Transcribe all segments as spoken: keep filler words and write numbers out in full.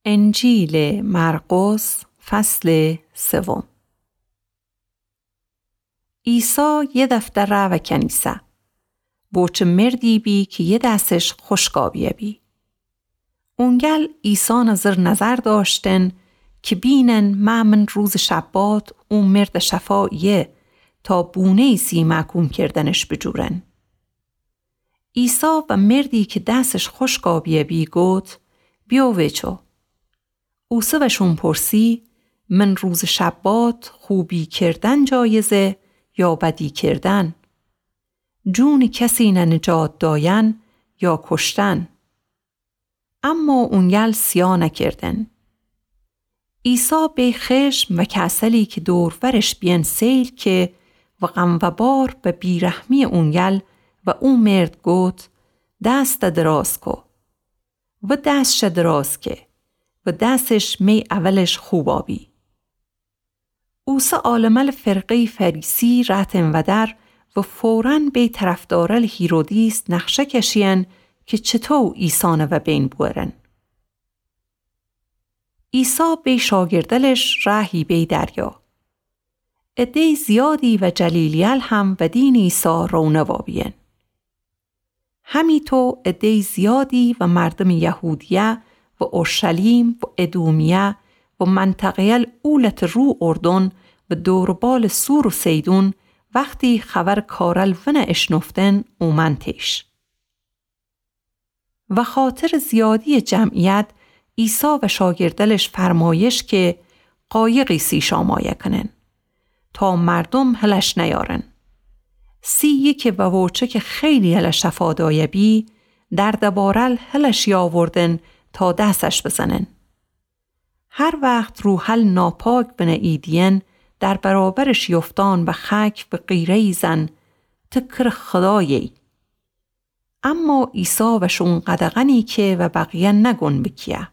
انجیلٚ مرقس، فصلٚ سوم. عیسی یه دفعه رأ و کنیسه. بوچه مردی بی کی یه دسش خوشکا بیه بی. اونگل عیسی نظر نظر داشتن کی بینن مأمن روزٚ شبات او مرد شفا ایه تا بونه‌یی سی محکوم کردنش بجورن. عیسی و مردی کی دسش خوشکا بیه بی گوت: بیو ویچو. اوسه وشون پرسی: من روزٚ شبات خوبی کردن جایزه یا بدی کردن؟ جونٚ کسی نه نجات داین یا کشتن؟ اما اونگل سیا نکردن. عیسی بی خشم و کسلی کی دور ورش بیین سیل که و غم و بار به بیرحمی اونگل و او مرد گوت: دست دراز کو. و دسش دراز که و دسش می اولش خوبا بی. اوسه عالمل فرقه‌یٚ فریسی رأتن ودر و فوراً بی طرفدارل هیرودیس نقشه کشیین کی چطو عیسی نوه بین بورن. عیسی بی شاگردلش رأهی بی دریا. عده‌یٚ زیادی و جلیلیل هم ودینٚ عیسی رونه وابیین. همیطو عده‌یٚ زیادی و مردمٚ یهودیه و اورشلیم و ادومیه و منطقه‌یل او لتٚ رو اردن و دور و بالٚ صور و صیدون وختی خبرٚ کارل ونه اشنفتن اومأن تیش. و خاطرٚ زیادیٚ جمعیت عیسی و شاگردلش فرمایش که قایقی سی شامایه کنن تا مردم هلش نیارن. سی یکی و ووچه که خیلیل شفا دایه بی، درد بارل هلش یاوردن تا دسش بزنن. هر وخت روحل ناپاک بنه ایدیین، در برابرش یفتان و خک و غیره ایزن: ته کره خدایه‌یی. اما عیسی وشون قدغنی که و بقیه نگون بکیه.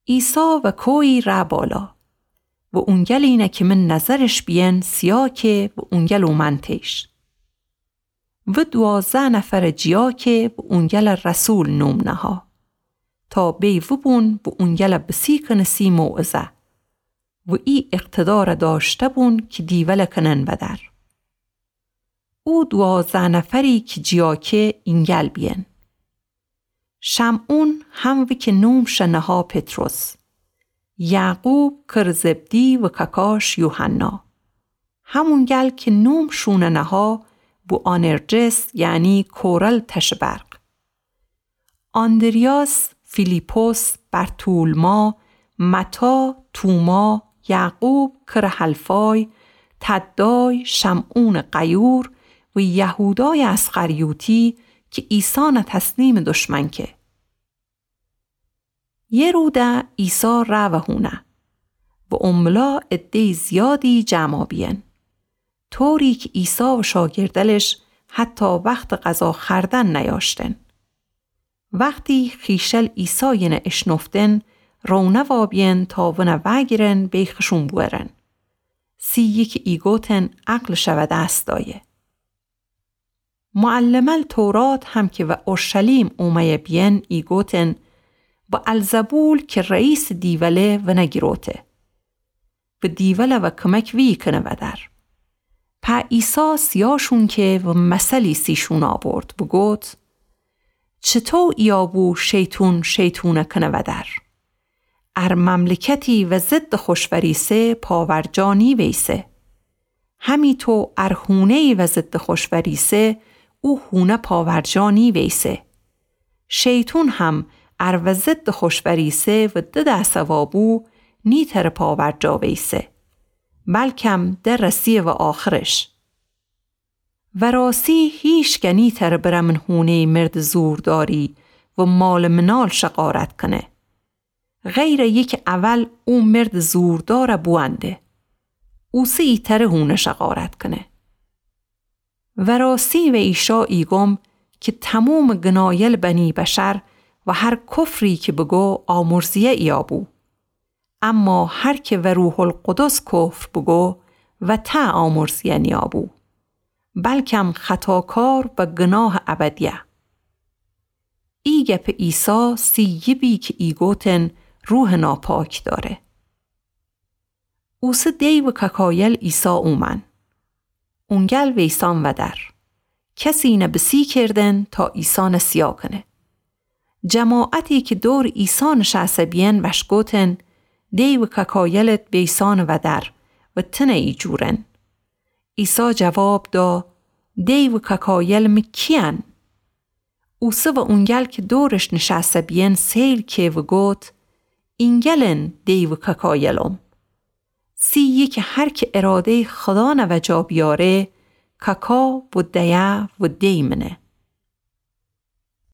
عیسی و کویی رأ بالا و اونگلینه که من نظرش بیین سیا که و اونگل اومأن تیش. و دوازده نفرٚ جیا که و اونگل رسول نوم نها تا بی وبون و اونگل بسی کنه سی موعظه و ای اقتدار داشته بون که دیول کنن ودر. او دوازده نفری که جیا که اینگل بیین: شمعون، همو که نومش نها پطرس، یعقوب کره زبدی و کاکاش یوحنا، همونگل که نومشون نها بوآنرجس، یعنی کورل تشٚ برق، آندریاس، فیلیپس، برتولما، متی، توما، یعقوب کره حلفای، تدای، شمعونٚ غیور و یهودایٚ اسخریوطی که عیسی نه تسلیمٚ دشمن که. یه روده عیسی رأ و هونه و او ملا عده‌یٚ زیادی جمعا بیین، طوری که عیسی و شاگردلش حتی وختٚ غذا خوردن نیاشتن. وختی خیشل عیسای نه اشنفتن، رونه وابیین تا ونه وأگیرن بی خشون بورن. سی یکی ایگوتن عقلش ودس دایه. معلمل تورات هم که و اورشلیم اومه‌یه بیین ایگوتن: بألزبول که رئیسٚ دیوله ونه گیروته و دیول و کمک ویی کنه ودر. په عیسی سیاشون که و مثلی سیشون آورد، بوگوت: چطو ایابو شیطون شیطون کنه ودر؟ ار مملکتی و ضدٚ خوش وریسه پاورجا نیویسه. همیطو ار هونه‌یی و ضدٚ خوش وریسه، او هونه پاورجا نیویسه. شیطون هم ار و ضدٚ خوش وریسه و ددسه وابو، نیتره پاورجا ویسه، بلکم درسیه و آخرش. وراسی هیشکه نیتره بره من هونه‌یٚ مردٚ زورداری و مال منال شقارت کنه، غیر یکه اول او مردٚ زورداره بوأنده. اوسه ایتره هونه شقارت کنه. وراسی و ایشا ایگم که تمومٚ گنایل بنی بشر و هر کفری که بگو آمرزیه ایابو. اما هر که و روح‌القدس کفر بگو و ته آمرزیه نیابو، بلکم خطاکار و گناهٚ ابدیه. ای گپٚ عیسی سیی بی کی ایگوتن روحٚ ناپاک دأره. اوسه دیوٚ کاکایل عیسی اومأن. اونگل ویسان ودر. کسینه بسی کردن تا عیسانه سیا کنه. جماعتی کی دورٚ عیسی نشأسه بیین وأشکوتن، دیوٚ کاکایلت بیسانٚ ودر و تنه ایجورن. عیسی جواب دا، دیوٚ کاکایل می کیین؟ اوسه و اونگل کی دورش نشأسه بیین سیل که و گوت، اینگلن دیوٚ کاکایلم. سیی کی هر کی ارادهٔ خودانه وجا بیاره، کاکا و دیه و دی مینه.